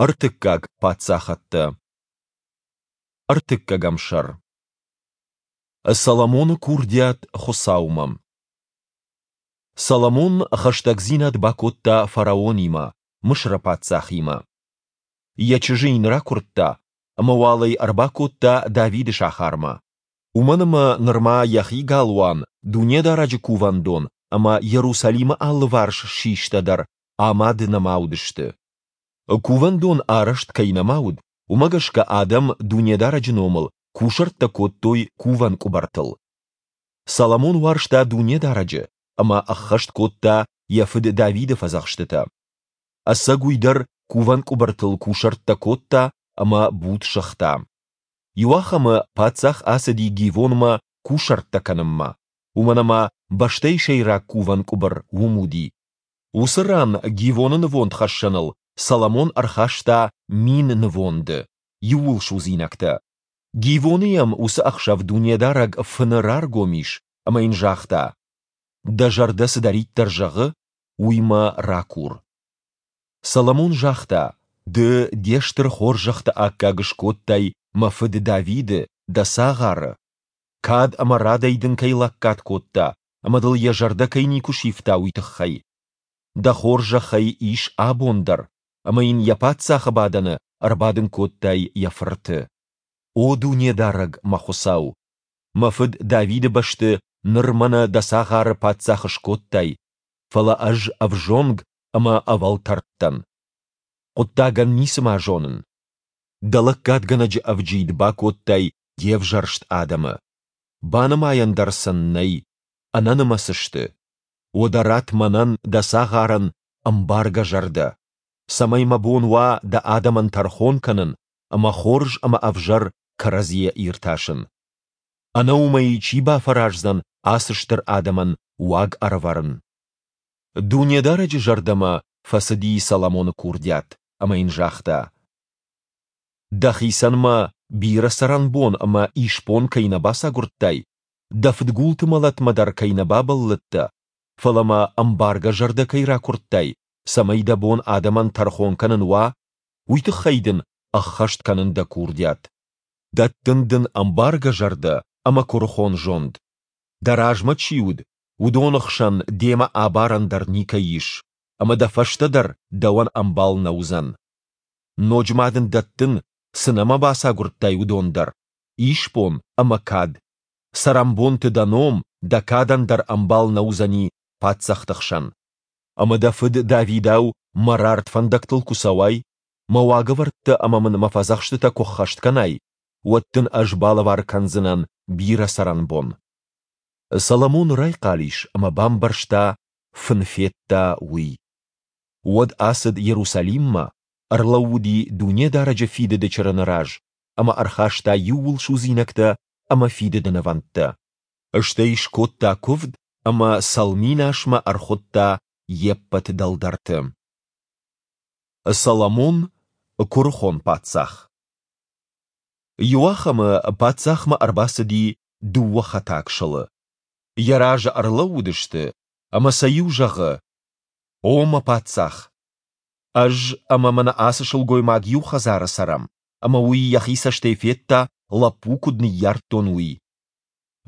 Ӕртыккаг паддзахӕдтӕ. Ӕртыккӕгӕм сӕр. Соломоны курдиат Хуыцаумӕ. Соломон хӕстӕгдзинад бакодта фараонимӕ, Мысыры паддзахимӕ. Йӕ чызджы йын ракуырдта ӕмӕ уал ӕй ӕрбакодта Давиды сахармӕ, уымӕн ӕмӕ нырма йӕхи галуан, Дунедарӕджы кувӕндон ӕмӕ Иерусалимы алыварс систӕ дӕр амад нӕма уыдысты. Кувӕндон арӕзт кӕй нӕма уыд, уымӕ гӕсгӕ адӕм Дунедарӕджы номыл кусӕрттӕ кодтой кувӕн къуыбыртыл. Соломон уарзта Дунедарӕджы ӕмӕ ӕххӕст кодта йӕ фыд Давиды фӕдзӕхстытӕ. Ӕцӕг уый дӕр кувӕн къуыбыртыл кусӕрттӕ кодта ӕмӕ буд сыгъта. Иуахӕмы паддзах ацыди Гивонмӕ кусӕрттӕ кӕнынмӕ, уымӕн ӕмӕ бӕстӕйы сӕйраг кувӕн къуыбыр уым уыди. Уыцы ран Гивоны нывондхӕссӕныл Соломон ӕрхаста мин нывонды, иууылсудзинӕгтӕ. Гивоны йӕм уыцы ӕхсӕв Дунедарӕг фыны раргом ис ӕмӕ йын загъта: Дӕ зӕрдӕ цыдӕриддӕр зӕгъы, уый мӕ ракур. Соломон загъта: Ды де стыр хорзӕхты аккаг скодтай мӕ фыд Давиды, дӕ цагъары. Кад ӕмӕ радӕй дын кӕй лӕггад кодта ӕмӕ дыл йӕ зӕрдӕ кӕй никуы сивта, уый тыххӕй. Дӕ хорзӕх ӕй ис абон дӕр, ӕмӕ йын йӕ паддзахы бадӕны ӕрбадын кодтай йӕ фырты. О Дунедарӕг, мӕ Хуыцау! Мӕ фыд Давиды бӕсты ныр мӕнӕ дӕ цагъары паддзах скодтай, фӕлӕ ӕз ӕвзонг ӕмӕ ӕвӕлтӕрд дӕн. Хъуыддагӕн ницыма зонын. Дӕ лӕггадгӕнӕджы ӕвджид бакодтай де взӕрст адӕмы. Банымайӕн дӕр сын нӕй, ӕнӕнымӕц сты. Уӕдӕ ратт мӕнӕн, дӕ цагъарӕн, ӕмбаргӕ зӕрдӕ, цӕмӕй мӕ бон уа дӕ адӕмӕн тӕрхон кӕнын ӕмӕ хорз ӕмӕ ӕвзӕр кӕрӕдзийӕ иртасын. Ӕнӕ уымӕй чи бафӕраздзӕн ацы стыр адӕмӕн уаг ӕрӕвӕрын? Дунедарӕджы зӕрдӕмӕ фӕцыди Соломоны курдиат ӕмӕ йын загъта: Дӕхицӕн ма бирӕ цӕрӕнбон ӕмӕ исбон кӕй нӕ бацагуырдтай, дӕ фыдгулты мӕлӕтмӕ дӕр кӕй нӕ бабӕллыдтӕ, фӕлӕ мӕ ӕмбаргӕ зӕрдӕ кӕй ракуырдтай, цӕмӕй дӕ бон адӕмӕн тӕрхон кӕнын уа, уый тыххӕй дын ӕххӕст кӕнын дӕ курдиат. Дӕттын дын ӕмбаргӕ зӕрдӕ ӕмӕ куырыхон зонд. Дӕ размӕ чи уыд, уыдоны хсӕн демӕ абарӕн дӕр никӕй ис, ӕмӕ дӕ фӕстӕ дӕр дӕуӕн ӕмбал нӕ уыдзӕн. Ноджы ма дын дӕттын, цы нӕма бацагуырдтай, уыдон дӕр, исбон ӕмӕ кад. Цӕрӕнбонты дӕ ном, дӕ кадӕн дӕр ӕмбал нӕ уыдзӕни паддзӕхты хсӕн. Ӕмӕ дӕ фыд Давидау мӕ рард фӕндӕгтыл куы цӕуай, мӕ уагӕвӕрдтӕ ӕмӕ мын мӕ фӕдзӕхстытӕ куы ххӕст кӕнай, уӕд дын ӕз балӕвар кӕндзынӕн бирӕ цӕрӕнбон. Соломон райхъал ис ӕмӕ бамбӕрста, фын федта, уый. Уӕд ацыд Иерусалиммӕ, ӕрлӕууыди Дунедарӕджы фидыды чырыны раз ӕмӕ ӕрхаста иууылсудзинӕгтӕ ӕмӕ фидыды нывӕндтӕ. Стӕй скодта куывд ӕмӕ цӕлминасмӕ ӕрхуыдта йе ппӕт дӕлдӕрты. Соломон – куырыхон паддзах. Иуахӕмы паддзахмӕ ӕрбацыди дыууӕ хӕтаг сылы. Йӕ разы ӕрлӕууыдысты, ӕмӕ сӕ иу зӕгъы: «О мӕ паддзах! Ӕз ӕмӕ мӕнӕ ацы сылгоймаг иу хӕдзары цӕрӕм, ӕмӕ уый йӕхи цӕстӕй федта, лӕппу куыд ныййардтон, уый.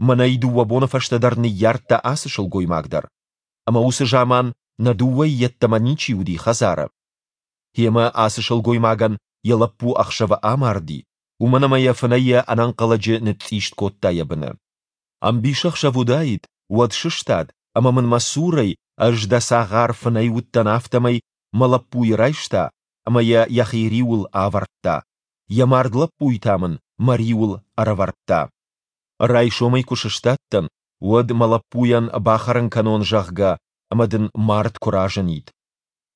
Мӕнӕй дыууӕ боны фӕстӕдӕр ныййардта ацы сылгоймаг дӕр. Ӕмӕ уыцы заман нӕ дыууӕйы йеддӕмӕ ничи уыди хӕдзары. Гъемӕ ацы сылгоймагӕн йӕ лӕппу ӕхсӕвы амарди, уымӕн ӕмӕ йӕ фынӕйӕ ӕнӕнхъӕлӕджы ныцъцъист кодта йӕ быны. Ӕмбисӕхсӕв уыдаид, уӕд сыстад ӕмӕ мын мӕ цурӕй, ӕз дӕ цагъар фынӕй уыдтӕн, афтӕмӕй мӕ лӕппуйы райста ӕмӕ йӕ йӕхи риуыл авӕрдта, йӕ мард лӕппуйы та мын мӕ риуыл ӕрӕвӕрдта. Райсомӕй куы сыстадтӕн, уӕд мӕ лӕппуйӕн бахӕрын кӕнон, зӕгъгӕ, ӕмӕ дын мард куы разынид.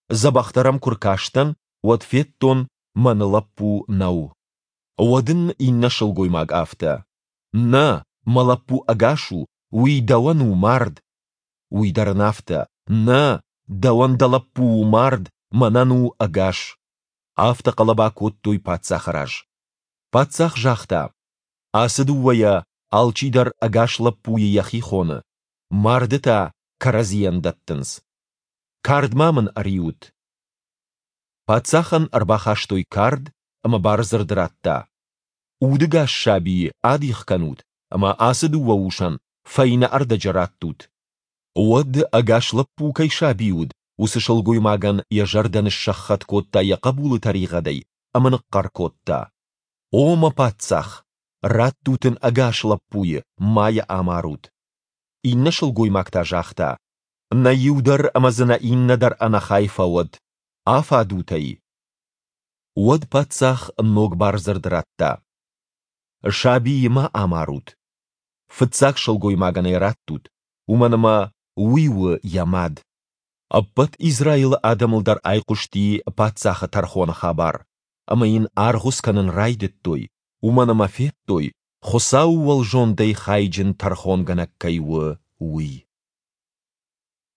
Дзӕбӕхдӕр ӕм куы ркастӕн, уӕд федтон, мӕн лӕппу нӕу. Уӕд ын иннӕ сылгоймаг афтӕ: Нӕ, мӕ лӕппу ӕгас у, уый дӕуӕн у мард. Уый дӕр ын афтӕ: Нӕ, дӕуӕн дӕ лӕппу у мард, мӕнӕн у ӕгас. Афтӕ хъӕлӕба кодтой паддзахы раз. Паддзах загъта: Ацы дыууӕйӕ алчидӕр ӕгас лӕппуйы йӕхи хоны, марды та кӕрӕдзийӕн дӕттынц. Кард ма мын ӕриут. Паддзахӕн ӕрбахастой кард, ӕмӕ бардзырд радта, Удыгас сабийы адих кӕнут ӕмӕ ацы дыууӕ усӕн фӕйнӕ ӕрдӕджы раттут. Уӕд, ӕгас лӕппу кӕй саби уыд, уыцы сылгоймагӕн йӕ зӕрдӕ ныссӕххӕтт кодта йӕ хъӕбулы тӕригъӕдӕй ӕмӕ ныхъхъӕр кодта, О мӕ паддзах, раттут ын ӕгас лӕппуйы, ма йӕ амарут! Иннӕ сылгоймаг та загъта, Нӕ иу дӕр ӕмӕ дзы нӕ иннӕ дӕр ӕнӕхай фӕуӕд! Афадут ӕй! Уӕд паддзах ног бардзырд радта, Сабийы ма амарут. Фыццаг сылгоймагӕн ӕй раттут, уымӕн ӕмӕ уый у йӕ мад. Ӕппӕт Израилы адӕмыл дӕр айхъуысти паддзахы тӕрхоны хабар, ӕмӕ йын аргъуыц кӕнын райдыдтой, уымӕн ӕмӕ федтой, Хуыцауы уӕлзондӕй хайджын тӕрхонгӕнӕг кӕй у, уый.